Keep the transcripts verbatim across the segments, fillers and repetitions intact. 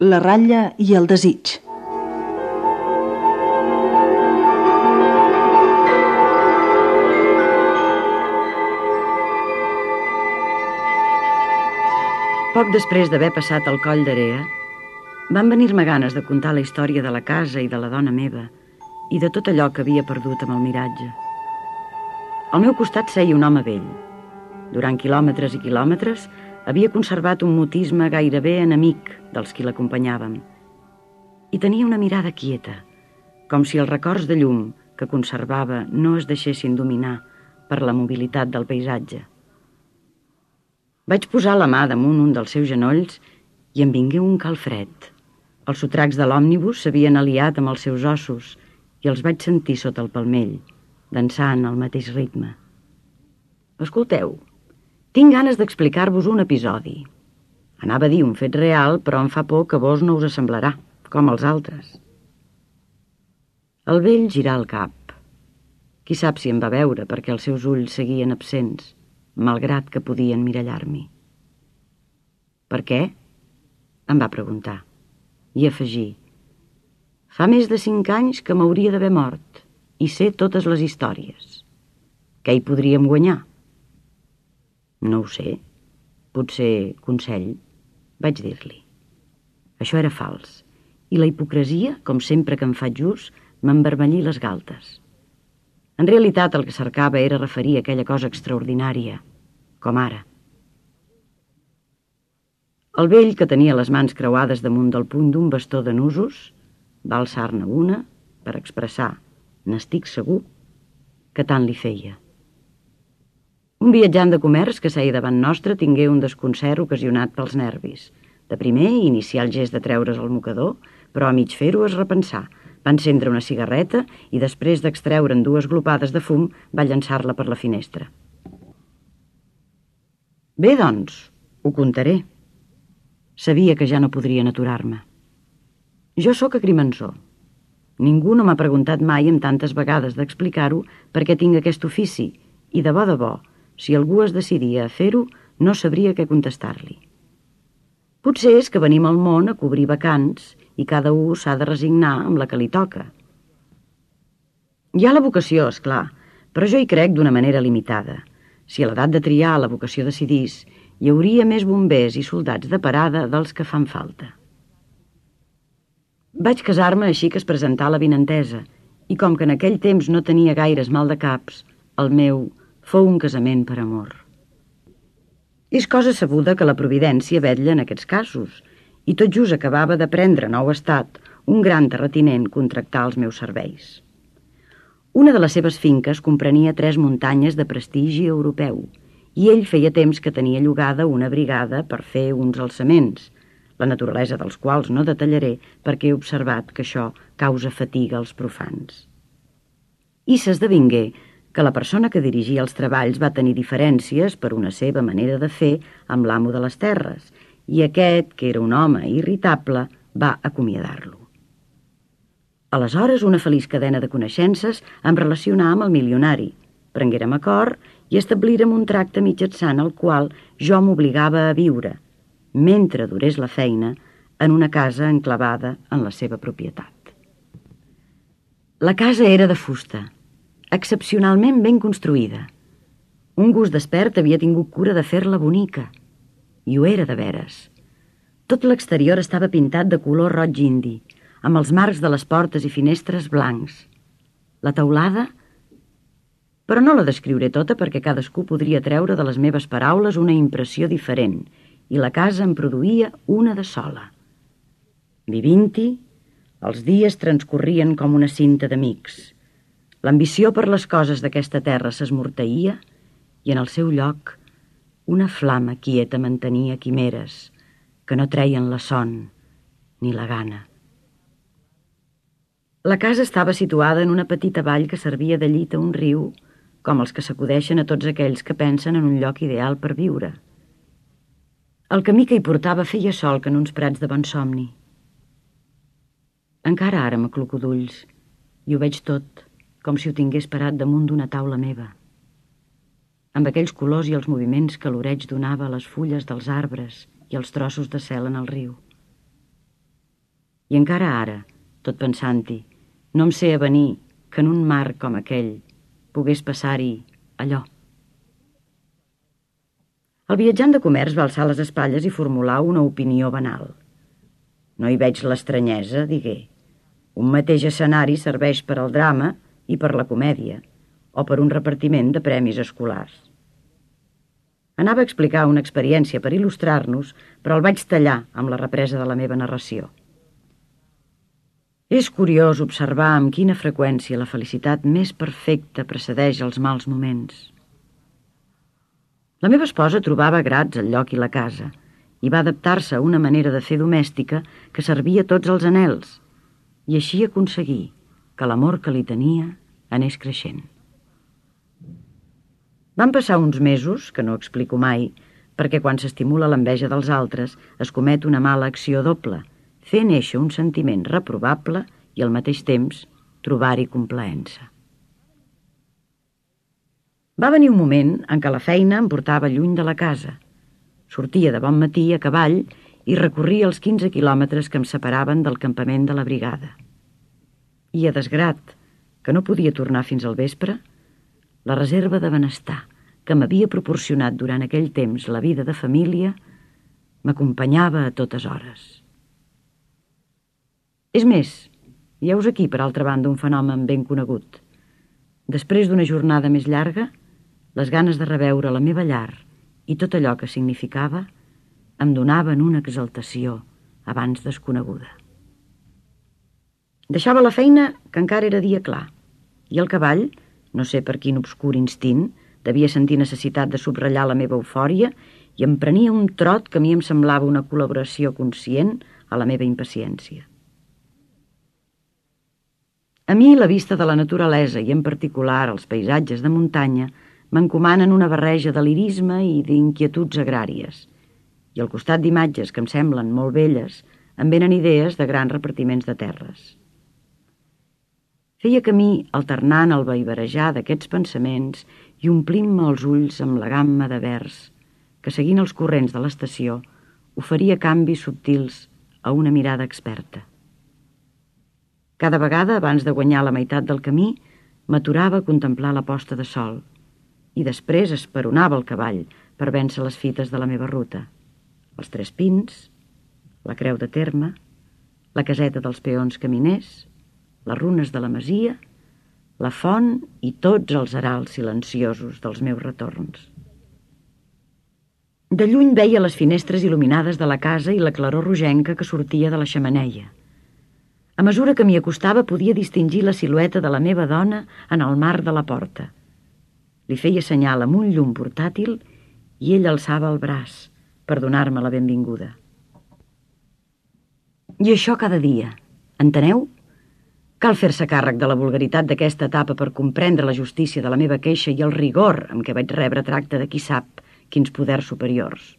La ratlla i el desig. Poc després d'haver passat el coll d'Area, van venir-me ganes de contar la història de la casa i de la dona meva i de tot allò que havia perdut amb el miratge. Al meu costat seia un home vell. Durant quilòmetres i quilòmetres havia conservat un mutisme gairebé enemic dels qui l'acompanyàvem i tenia una mirada quieta, com si els records de llum que conservava no es deixessin dominar per la mobilitat del paisatge. Vaig posar la mà damunt un dels seus genolls i em vingué un calfred. Els sotracs de l'òmnibus s'havien aliat amb els seus ossos i els vaig sentir sota el palmell, dansant al mateix ritme. Escolteu, tinc ganes d'explicar-vos un episodi. Anava a dir un fet real, però em fa por que vos no us assemblarà, com els altres. El vell girà el cap. Qui sap si em va veure perquè els seus ulls seguien absents, malgrat que podien mirallar-m'hi. Per què? Em va preguntar. I afegí: fa més de cinc anys que m'hauria d'haver mort i sé totes les històries. Què hi podríem guanyar? No ho sé. Potser consell, vaig dir-li. Això era fals, i la hipocresia, com sempre que em faig ús, m'envermellí les galtes. En realitat el que cercava era referir aquella cosa extraordinària, com ara. El vell, que tenia les mans creuades damunt del puny d'un bastó de nusos, va alçar-ne una per expressar, n'estic segur, que tant li feia. Un viatjant de comerç que seia davant nostre tingué un desconcert ocasionat pels nervis. De primer, iniciar el gest de treure's el mocador, però a mig fer-ho es repensà. Va encendre una cigarreta i després d'extreure'n dues glopades de fum va llançar-la per la finestra. Bé, doncs, ho contaré. Sabia que ja no podrien aturar-me. Jo sóc agrimensor. Ningú no m'ha preguntat mai amb tantes vegades d'explicar-ho per què tinc aquest ofici i, de bo de bo, si algú es decidia a fer-ho, no sabria què contestar-li. Potser és que venim al món a cobrir vacants i cada un s'ha de resignar amb la que li toca. Hi ha la vocació, és clar, però jo hi crec d'una manera limitada. Si a l'edat de triar la vocació decidís, hi hauria més bombers i soldats de parada dels que fan falta. Vaig casar-me així que es presentà la vinentesa, i com que en aquell temps no tenia gaires mal de caps, el meu fou un casament per amor. És cosa sabuda que la providència vetlla en aquests casos, i tot just acabava de prendre nou estat un gran terratinent contractar els meus serveis. Una de les seves finques comprenia tres muntanyes de prestigi europeu, i ell feia temps que tenia llogada una brigada per fer uns alçaments, la naturalesa dels quals no detallaré perquè he observat que això causa fatiga als profans. I s'esdevingué que la persona que dirigia els treballs va tenir diferències per una seva manera de fer amb l'amo de les terres, i aquest, que era un home irritable, va acomiadar-lo. Aleshores, una feliç cadena de coneixences em relacionà amb el milionari. Prenguérem acord i establírem un tracte mitjançant el qual jo m'obligava a viure, mentre durés la feina, en una casa enclavada en la seva propietat. La casa era de fusta, excepcionalment ben construïda. Un gust despert havia tingut cura de fer-la bonica, i ho era de veres. Tot l'exterior estava pintat de color roig indi, amb els marcs de les portes i finestres blancs. La teulada... Però no la descriuré tota perquè cadascú podria treure de les meves paraules una impressió diferent, i la casa en produïa una de sola. Vivint-hi, els dies transcorrien com una cinta d'amics. L'ambició per les coses d'aquesta terra s'esmorteïa i en el seu lloc una flama quieta mantenia quimeres que no treien la son ni la gana. La casa estava situada en una petita vall que servia de llit a un riu, com els que s'acudeixen a tots aquells que pensen en un lloc ideal per viure. El camí que hi portava feia sol que en uns prats de bon somni. Encara ara m'acluco d'ulls i ho veig tot, com si ho tingués parat damunt d'una taula meva, amb aquells colors i els moviments que l'oreig donava a les fulles dels arbres i els trossos de cel en el riu. I encara ara, tot pensant-hi, no em sé avenir que en un mar com aquell pogués passar-hi allò. El viatjant de comerç va alçar les espatlles i formular una opinió banal. No hi veig l'estranyesa, digué. Un mateix escenari serveix per al drama i per la comèdia, o per un repartiment de premis escolars. Anava a explicar una experiència per il·lustrar-nos, però el vaig tallar amb la represa de la meva narració. És curiós observar amb quina freqüència la felicitat més perfecta precedeix els mals moments. La meva esposa trobava grats al lloc i la casa i va adaptar-se a una manera de fer domèstica que servia a tots els anhels i així aconseguir que l'amor que li tenia anés creixent. Van passar uns mesos, que no explico mai, perquè quan s'estimula l'enveja dels altres es comet una mala acció doble, fer néixer un sentiment reprovable i al mateix temps trobar-hi complaença. Va venir un moment en què la feina em portava lluny de la casa. Sortia de bon matí a cavall i recorria els quinze quilòmetres que em separaven del campament de la brigada. I a desgrat, que no podia tornar fins al vespre, la reserva de benestar que m'havia proporcionat durant aquell temps la vida de família m'acompanyava a totes hores. És més, hi heus aquí, per altra banda, un fenomen ben conegut. Després d'una jornada més llarga, les ganes de reveure la meva llar i tot allò que significava em donaven una exaltació abans desconeguda. Deixava la feina que encara era dia clar, i el cavall, no sé per quin obscur instint, devia sentir necessitat de subratllar la meva eufòria i em prenia un trot que a mi em semblava una col·laboració conscient a la meva impaciència. A mi la vista de la naturalesa i en particular els paisatges de muntanya m'encomanen una barreja de lirisme i d'inquietuds agràries, i al costat d'imatges que em semblen molt belles em venen idees de grans repartiments de terres. Feia camí alternant el vaivarejar d'aquests pensaments i omplint-me els ulls amb la gamma de vers que, seguint els corrents de l'estació, oferia canvis subtils a una mirada experta. Cada vegada, abans de guanyar la meitat del camí, m'aturava a contemplar la posta de sol i després esperonava el cavall per vèncer les fites de la meva ruta. Els Tres Pins, la Creu de Terme, la caseta dels peons caminers, les runes de la masia, la font i tots els arals silenciosos dels meus retorns. De lluny veia les finestres il·luminades de la casa i la claror rogenca que sortia de la xemeneia. A mesura que m'hi acostava podia distingir la silueta de la meva dona en el marc de la porta. Li feia senyal amb un llum portàtil i ell alçava el braç per donar-me la benvinguda. I això cada dia, enteneu? Cal fer-se càrrec de la vulgaritat d'aquesta etapa per comprendre la justícia de la meva queixa i el rigor amb què vaig rebre tracte de qui sap quins poders superiors.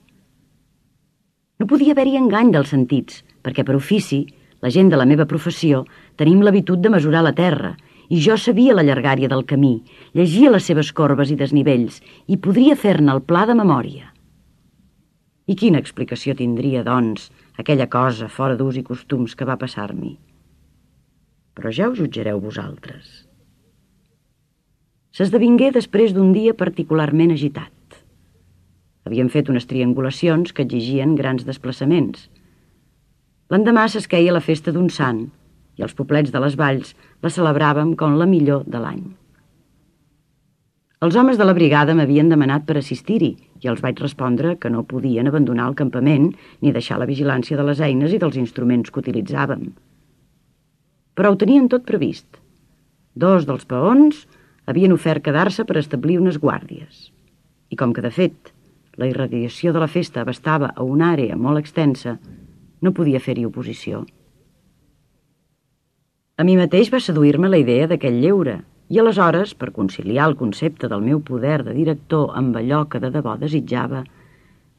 No podia haver-hi engany dels sentits, perquè per ofici, la gent de la meva professió, tenim l'habitud de mesurar la terra, i jo sabia la llargària del camí, llegia les seves corbes i desnivells, i podria fer-ne el pla de memòria. I quina explicació tindria, doncs, aquella cosa fora d'ús i costums que va passar-m'hi? Però ja ho jutjareu vosaltres. S'esdevingué després d'un dia particularment agitat. Havíem fet unes triangulacions que exigien grans desplaçaments. L'endemà s'esqueia la festa d'un sant i els poblets de les valls la celebràvem com la millor de l'any. Els homes de la brigada m'havien demanat per assistir-hi i els vaig respondre que no podien abandonar el campament ni deixar la vigilància de les eines i dels instruments que utilitzàvem. Però ho tenien tot previst. Dos dels peons havien ofert quedar-se per establir unes guàrdies. I com que, de fet, la irradiació de la festa abastava a una àrea molt extensa, no podia fer-hi oposició. A mi mateix va seduir-me la idea d'aquell lleure, i aleshores, per conciliar el concepte del meu poder de director amb allò que de debò desitjava,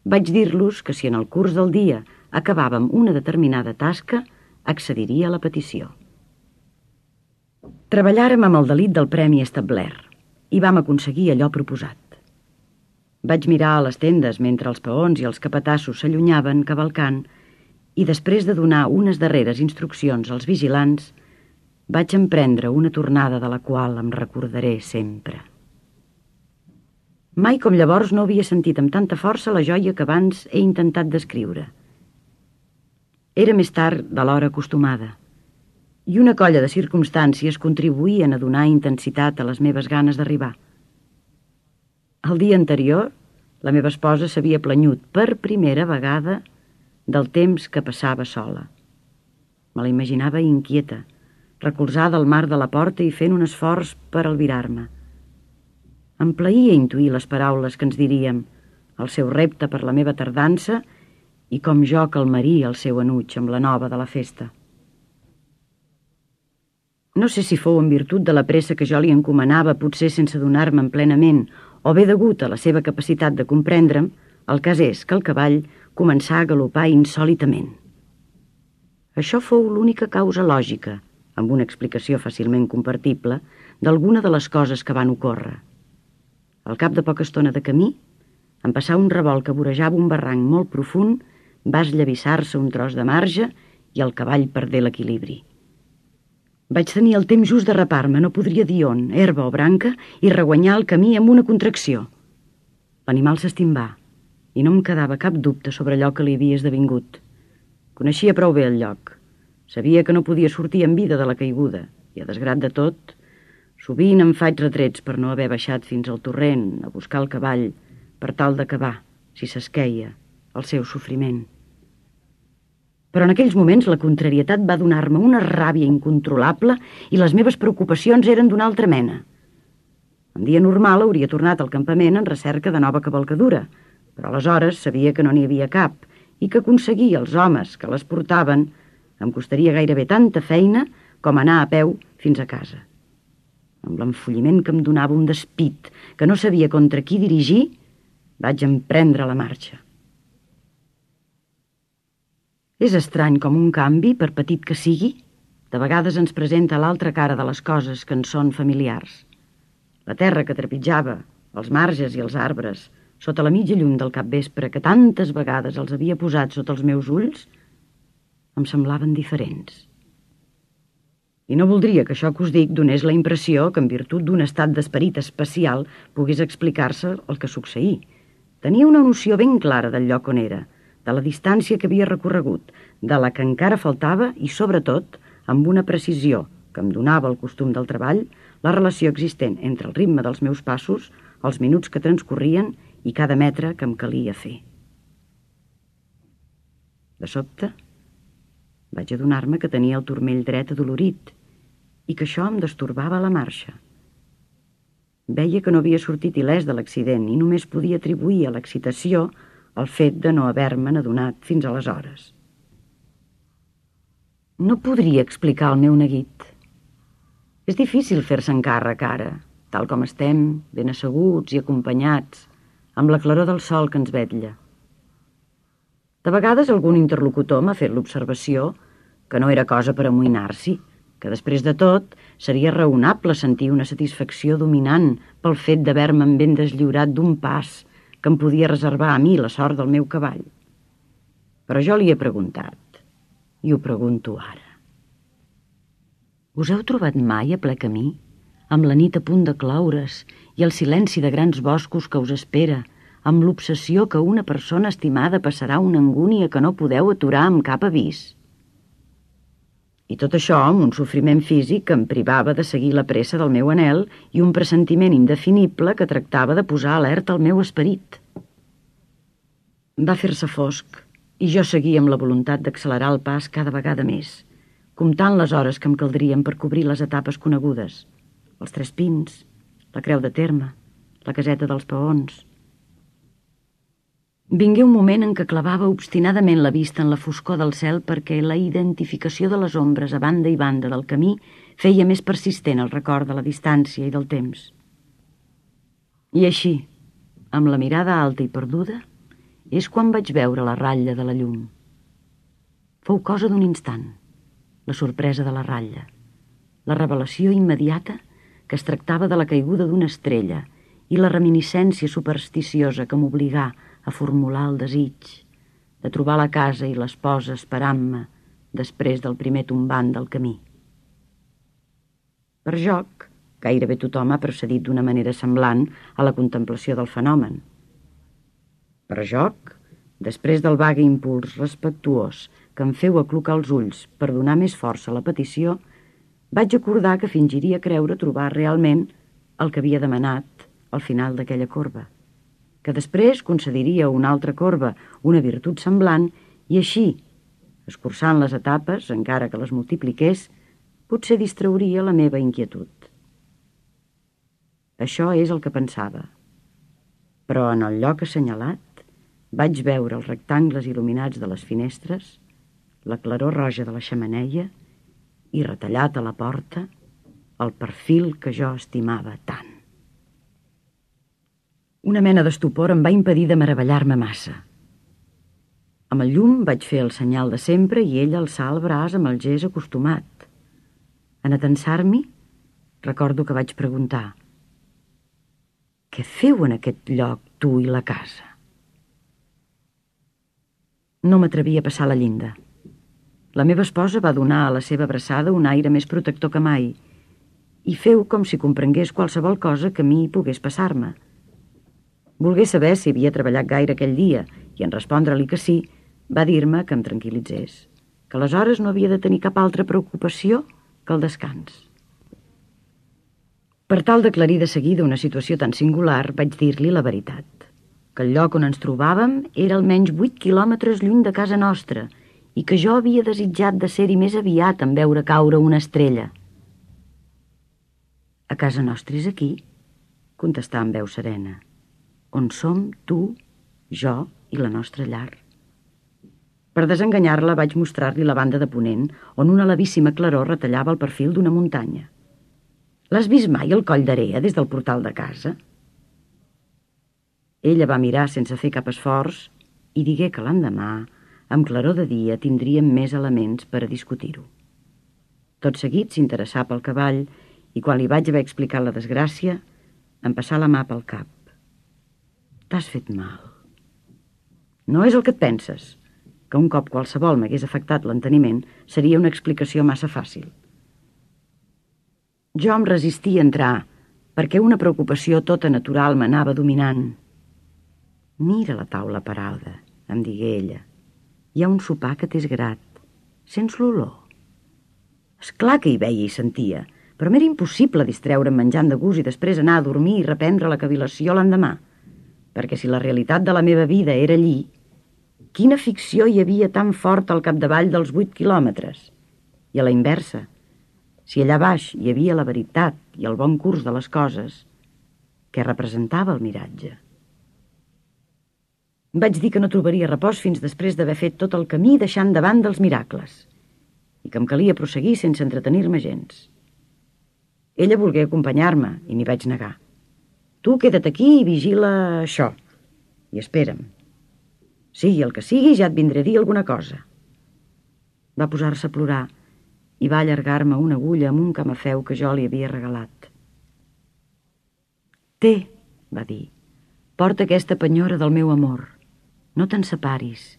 vaig dir-los que si en el curs del dia acabàvem una determinada tasca, accediria a la petició. Treballàrem amb el delit del premi establert i vam aconseguir allò proposat. Vaig mirar a les tendes mentre els peons i els capatassos s'allunyaven cavalcant i després de donar unes darreres instruccions als vigilants, vaig emprendre una tornada de la qual em recordaré sempre. Mai com llavors no havia sentit amb tanta força la joia que abans he intentat descriure. Era més tard de l'hora acostumada, i una colla de circumstàncies contribuïen a donar intensitat a les meves ganes d'arribar. El dia anterior, la meva esposa s'havia planyut per primera vegada del temps que passava sola. Me la imaginava inquieta, recolzada al marc de la porta i fent un esforç per albirar-me. Em plaïa intuir les paraules que ens diríem, el seu repte per la meva tardança i com jo calmaria el seu enuig amb la nova de la festa. No sé si fou en virtut de la pressa que jo li encomanava, potser sense donar-me'n plenament, o bé degut a la seva capacitat de comprendre'm, el cas és que el cavall començà a galopar insòlitament. Això fou l'única causa lògica, amb una explicació fàcilment compartible, d'alguna de les coses que van ocórrer. Al cap de poca estona de camí, en passar un revolt que vorejava un barranc molt profund, va esllavissar-se un tros de marge i el cavall perdé l'equilibri. Vaig tenir el temps just de rapar-me, no podria dir on, herba o branca, i reguanyar el camí amb una contracció. L'animal s'estimbà, i no em quedava cap dubte sobre allò que li havia esdevingut. Coneixia prou bé el lloc. Sabia que no podia sortir en vida de la caiguda, i a desgrat de tot, sovint em faig retrets per no haver baixat fins al torrent a buscar el cavall per tal d'acabar, si s'esqueia, el seu sofriment. Però en aquells moments la contrarietat va donar-me una ràbia incontrolable i les meves preocupacions eren d'una altra mena. En dia normal hauria tornat al campament en recerca de nova cavalcadura, però aleshores sabia que no n'hi havia cap i que aconseguir els homes que les portaven em costaria gairebé tanta feina com anar a peu fins a casa. Amb l'enfolliment que em donava un despit que no sabia contra qui dirigir, vaig emprendre la marxa. És estrany com un canvi, per petit que sigui, de vegades ens presenta l'altra cara de les coses que ens són familiars. La terra que trepitjava, els marges i els arbres, sota la mitja llum del capvespre que tantes vegades els havia posat sota els meus ulls, em semblaven diferents. I no voldria que això que us dic donés la impressió que en virtut d'un estat d'esperit especial pogués explicar-se el que succeí. Tenia una noció ben clara del lloc on era, de la distància que havia recorregut, de la que encara faltava i, sobretot, amb una precisió que em donava el costum del treball, la relació existent entre el ritme dels meus passos, els minuts que transcorrien i cada metre que em calia fer. De sobte, vaig adonar-me que tenia el turmell dret adolorit i que això em destorbava la marxa. Veia que no havia sortit il·lès de l'accident i només podia atribuir a l'excitació el fet de no haver-me'n adonat fins aleshores. No podria explicar el meu neguit. És difícil fer-se encàrrec ara, tal com estem, ben asseguts i acompanyats, amb la claror del sol que ens vetlla. De vegades algun interlocutor m'ha fet l'observació que no era cosa per amoïnar-s'hi, que després de tot seria raonable sentir una satisfacció dominant pel fet d'haver-me'n ben deslliurat d'un pas que em podia reservar a mi la sort del meu cavall. Però jo li he preguntat, i ho pregunto ara. Us heu trobat mai a ple camí, amb la nit a punt de cloure's i el silenci de grans boscos que us espera, amb l'obsessió que una persona estimada passarà una angúnia que no podeu aturar amb cap avís? I tot això amb un sofriment físic que em privava de seguir la pressa del meu anhel i un pressentiment indefinible que tractava de posar alerta al meu esperit. Va fer-se fosc i jo seguia amb la voluntat d'accelerar el pas cada vegada més, comptant les hores que em caldrien per cobrir les etapes conegudes, els Tres Pins, la Creu de Terme, la Caseta dels Paons. Vingué un moment en què clavava obstinadament la vista en la foscor del cel perquè la identificació de les ombres a banda i banda del camí feia més persistent el record de la distància i del temps. I així, amb la mirada alta i perduda, és quan vaig veure la ratlla de la llum. Fou cosa d'un instant, la sorpresa de la ratlla, la revelació immediata que es tractava de la caiguda d'una estrella i la reminiscència supersticiosa que m'obligà a formular el desig de trobar la casa i l'esposa esperant-me després del primer tombant del camí. Per joc, gairebé tothom ha procedit d'una manera semblant a la contemplació del fenomen. Per joc, després del vague impuls respectuós que em feu aclucar els ulls per donar més força a la petició, vaig acordar que fingiria creure trobar realment el que havia demanat al final d'aquella corba, que després concediria una altra corba, una virtut semblant, i així, escurçant les etapes, encara que les multipliqués, potser distrauria la meva inquietud. Això és el que pensava. Però en el lloc assenyalat vaig veure els rectangles il·luminats de les finestres, la claror roja de la xemeneia i, retallat a la porta, el perfil que jo estimava tant. Una mena d'estupor em va impedir de meravellar-me massa. Amb el llum vaig fer el senyal de sempre i ell alçà el braç amb el gest acostumat. En atensar-m'hi, recordo que vaig preguntar: «Què feu en aquest lloc, tu i la casa?» No m'atrevia a passar la llinda. La meva esposa va donar a la seva abraçada un aire més protector que mai i feu com si comprengués qualsevol cosa que a mi pogués passar-me. Volgué saber si havia treballat gaire aquell dia i, en respondre-li que sí, va dir-me que em tranquil·litzés, que aleshores no havia de tenir cap altra preocupació que el descans. Per tal d'aclarir de seguida una situació tan singular, vaig dir-li la veritat, que el lloc on ens trobàvem era almenys vuit quilòmetres lluny de casa nostra i que jo havia desitjat de ser-hi més aviat en veure caure una estrella. «A casa nostra és aquí», contestà amb veu serena, «on som tu, jo i la nostra llar». Per desenganyar-la vaig mostrar-li la banda de ponent, on una levíssima claror retallava el perfil d'una muntanya. «L'has vist mai el coll d'Area des del portal de casa?» Ella va mirar sense fer cap esforç i digué que l'endemà, amb claror de dia, tindríem més elements per a discutir-ho. Tot seguit s'interessà pel cavall i quan li vaig haver explicat la desgràcia, em passà la mà pel cap. «T'has fet mal. No és el que et penses, que un cop qualsevol m'hagués afectat l'enteniment seria una explicació massa fàcil. Jo em resistia a entrar perquè una preocupació tota natural m'anava dominant. Mira la taula parada», em digué ella. «Hi ha un sopar que t'és grat. Sents l'olor?» És clar que hi veia i sentia, però m'era impossible distreure'm menjant de gust i després anar a dormir i reprendre la cavil·lació l'endemà, perquè si la realitat de la meva vida era allí, quina ficció hi havia tan forta al capdavall dels vuit quilòmetres? I a la inversa, si allà baix hi havia la veritat i el bon curs de les coses, què representava el miratge? Vaig dir que no trobaria repòs fins després d'haver fet tot el camí deixant davant dels miracles i que em calia prosseguir sense entretenir-me gens. Ella volgué acompanyar-me i m'hi vaig negar. «Tu queda't aquí i vigila això i espera'm. Sigui el que sigui, ja et vindré a dir alguna cosa». Va posar-se a plorar i va allargar-me una agulla amb un camafeu que jo li havia regalat. «Té», va dir, «porta aquesta penyora del meu amor. No te'n separis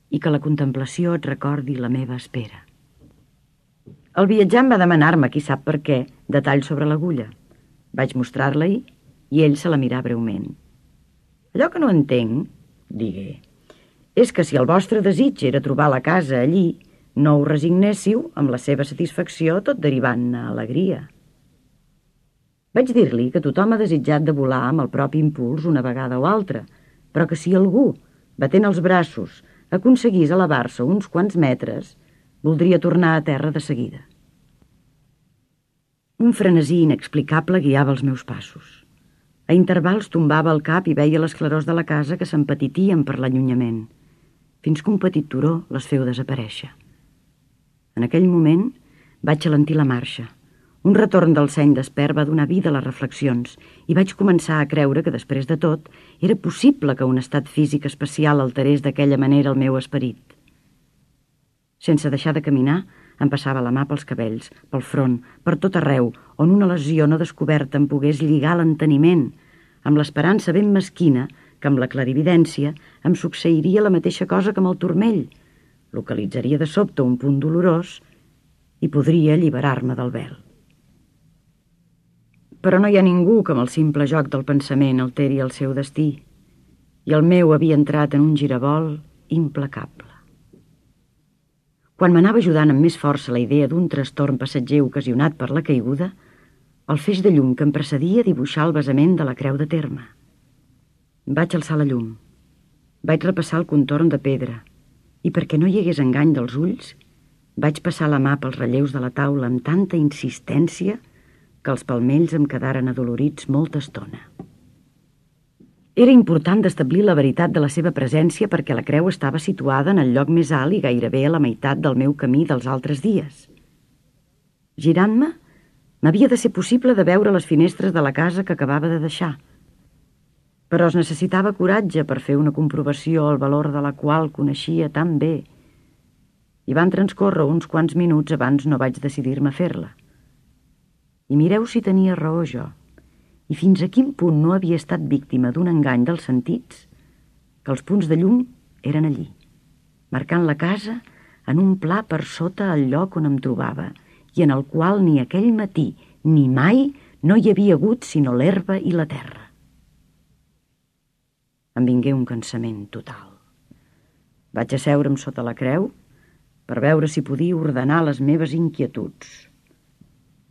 i que la contemplació et recordi la meva espera». El viatjant va demanar-me, qui sap per què, detall sobre l'agulla. Vaig mostrar-la-hi i ell se la mirà breument. «Allò que no entenc», digué, «és que si el vostre desig era trobar la casa allí, no us resignéssiu amb la seva satisfacció tot derivant-ne alegria». Vaig dir-li que tothom ha desitjat de volar amb el propi impuls una vegada o altra, però que si algú, batent els braços, aconseguís elevar-se uns quants metres, voldria tornar a terra de seguida. Un frenesí inexplicable guiava els meus passos. A intervals tombava el cap i veia les clarors de la casa que s'empetitien per l'allunyament, fins que un petit turó les feu desaparèixer. En aquell moment vaig alentir la marxa. Un retorn del seny despert va donar vida a les reflexions i vaig començar a creure que, després de tot, era possible que un estat físic especial alterés d'aquella manera el meu esperit. Sense deixar de caminar, em passava la mà pels cabells, pel front, per tot arreu, on una lesió no descoberta em pogués lligar l'enteniment, amb l'esperança ben mesquina que amb la clarividència em succeiria la mateixa cosa que amb el turmell. Localitzaria de sobte un punt dolorós i podria alliberar-me del vel. Però no hi ha ningú que amb el simple joc del pensament alteri el seu destí, i el meu havia entrat en un girabol implacable. Quan m'anava ajudant amb més força la idea d'un trastorn passatger ocasionat per la caiguda, el feix de llum que em precedia dibuixar el basament de la creu de terme. Vaig alçar la llum. Vaig repassar el contorn de pedra i perquè no hi hagués engany dels ulls, vaig passar la mà pels relleus de la taula amb tanta insistència que els palmells em quedaren adolorits molta estona. Era important d'establir la veritat de la seva presència perquè la creu estava situada en el lloc més alt i gairebé a la meitat del meu camí dels altres dies. Girant-me, m'havia de ser possible de veure les finestres de la casa que acabava de deixar, però es necessitava coratge per fer una comprovació el valor de la qual coneixia tan bé, i van transcórrer uns quants minuts abans no vaig decidir-me a fer-la. I mireu si tenia raó jo, i fins a quin punt no havia estat víctima d'un engany dels sentits, que els punts de llum eren allí, marcant la casa en un pla per sota el lloc on em trobava i en el qual ni aquell matí ni mai no hi havia hagut sinó l'herba i la terra. Em vingué un cansament total. Vaig asseure'm sota la creu per veure si podia ordenar les meves inquietuds.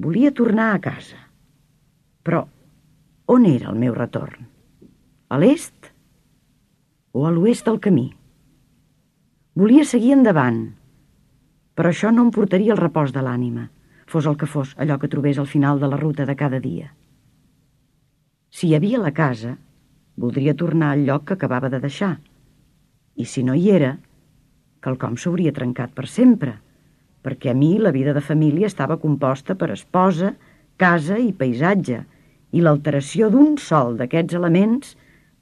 Volia tornar a casa, però on era el meu retorn? A l'est o a l'oest del camí? Volia seguir endavant, però això no em portaria el repòs de l'ànima, fos el que fos allò que trobés al final de la ruta de cada dia. Si hi havia la casa, voldria tornar al lloc que acabava de deixar, i si no hi era, quelcom s'hauria trencat per sempre, perquè a mi la vida de família estava composta per esposa, casa i paisatge, i l'alteració d'un sol d'aquests elements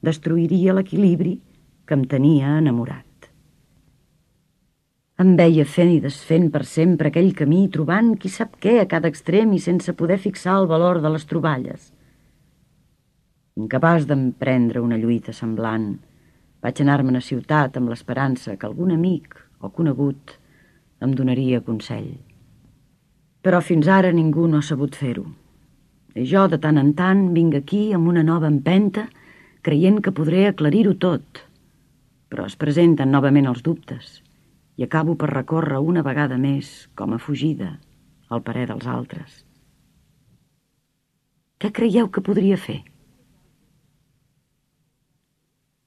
destruiria l'equilibri que em tenia enamorat. Em veia fent i desfent per sempre aquell camí, trobant qui sap què a cada extrem i sense poder fixar el valor de les troballes. Incapaç d'emprendre una lluita semblant, vaig anar-me'n a ciutat amb l'esperança que algun amic o conegut em donaria consell. Però fins ara ningú no ha sabut fer-ho. I jo, de tant en tant, vinc aquí amb una nova empenta, creient que podré aclarir-ho tot. Però es presenten novament els dubtes i acabo per recórrer una vegada més, com a fugida, al parer dels altres. Què creieu que podria fer?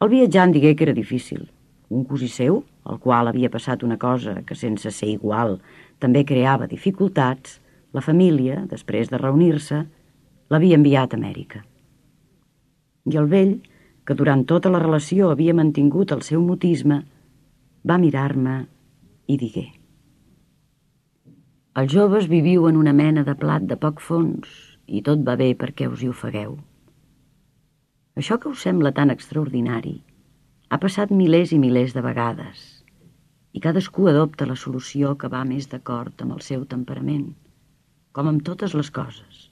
El viatjant digué que era difícil. Un cosí seu, al qual havia passat una cosa que sense ser igual també creava dificultats, la família, després de reunir-se, l'havia enviat a Amèrica. I el vell, que durant tota la relació havia mantingut el seu mutisme, va mirar-me i digué: els joves viviu en una mena de plat de poc fons i tot va bé perquè us hi ofegueu. Això que us sembla tan extraordinari ha passat milers i milers de vegades i cadascú adopta la solució que va més d'acord amb el seu temperament, com amb totes les coses.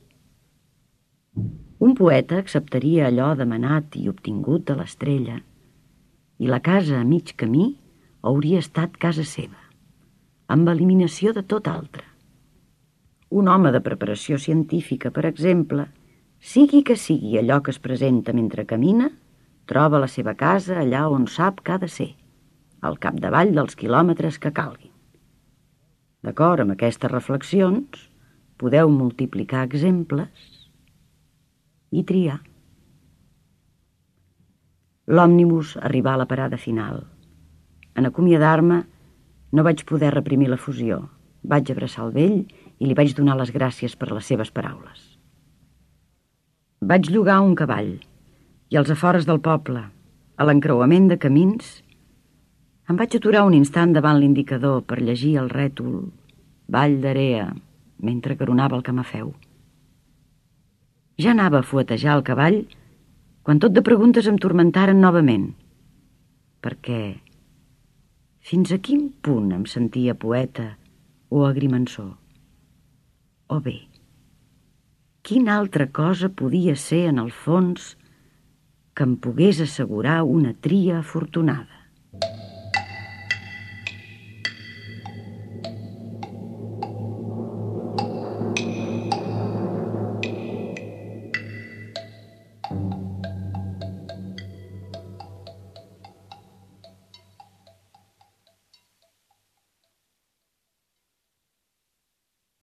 Un poeta acceptaria allò demanat i obtingut de l'estrella i la casa a mig camí hauria estat casa seva, amb eliminació de tot altre. Un home de preparació científica, per exemple, sigui que sigui allò que es presenta mentre camina, troba la seva casa allà on sap que ha de ser, al capdavall dels quilòmetres que calguin. D'acord amb aquestes reflexions, podeu multiplicar exemples i triar. L'òmnibus arribà a la parada final. En acomiadar-me, no vaig poder reprimir la fusió. Vaig abraçar el vell i li vaig donar les gràcies per les seves paraules. Vaig llogar un cavall i als afores del poble, a l'encreuament de camins, em vaig aturar un instant davant l'indicador per llegir el rètol Vall d'Area mentre caronava el camafeu. Ja anava a fuetejar el cavall quan tot de preguntes em turmentaren novament, perquè fins a quin punt em sentia poeta o agrimensor? O bé, quina altra cosa podia ser, en el fons, que em pogués assegurar una tria afortunada.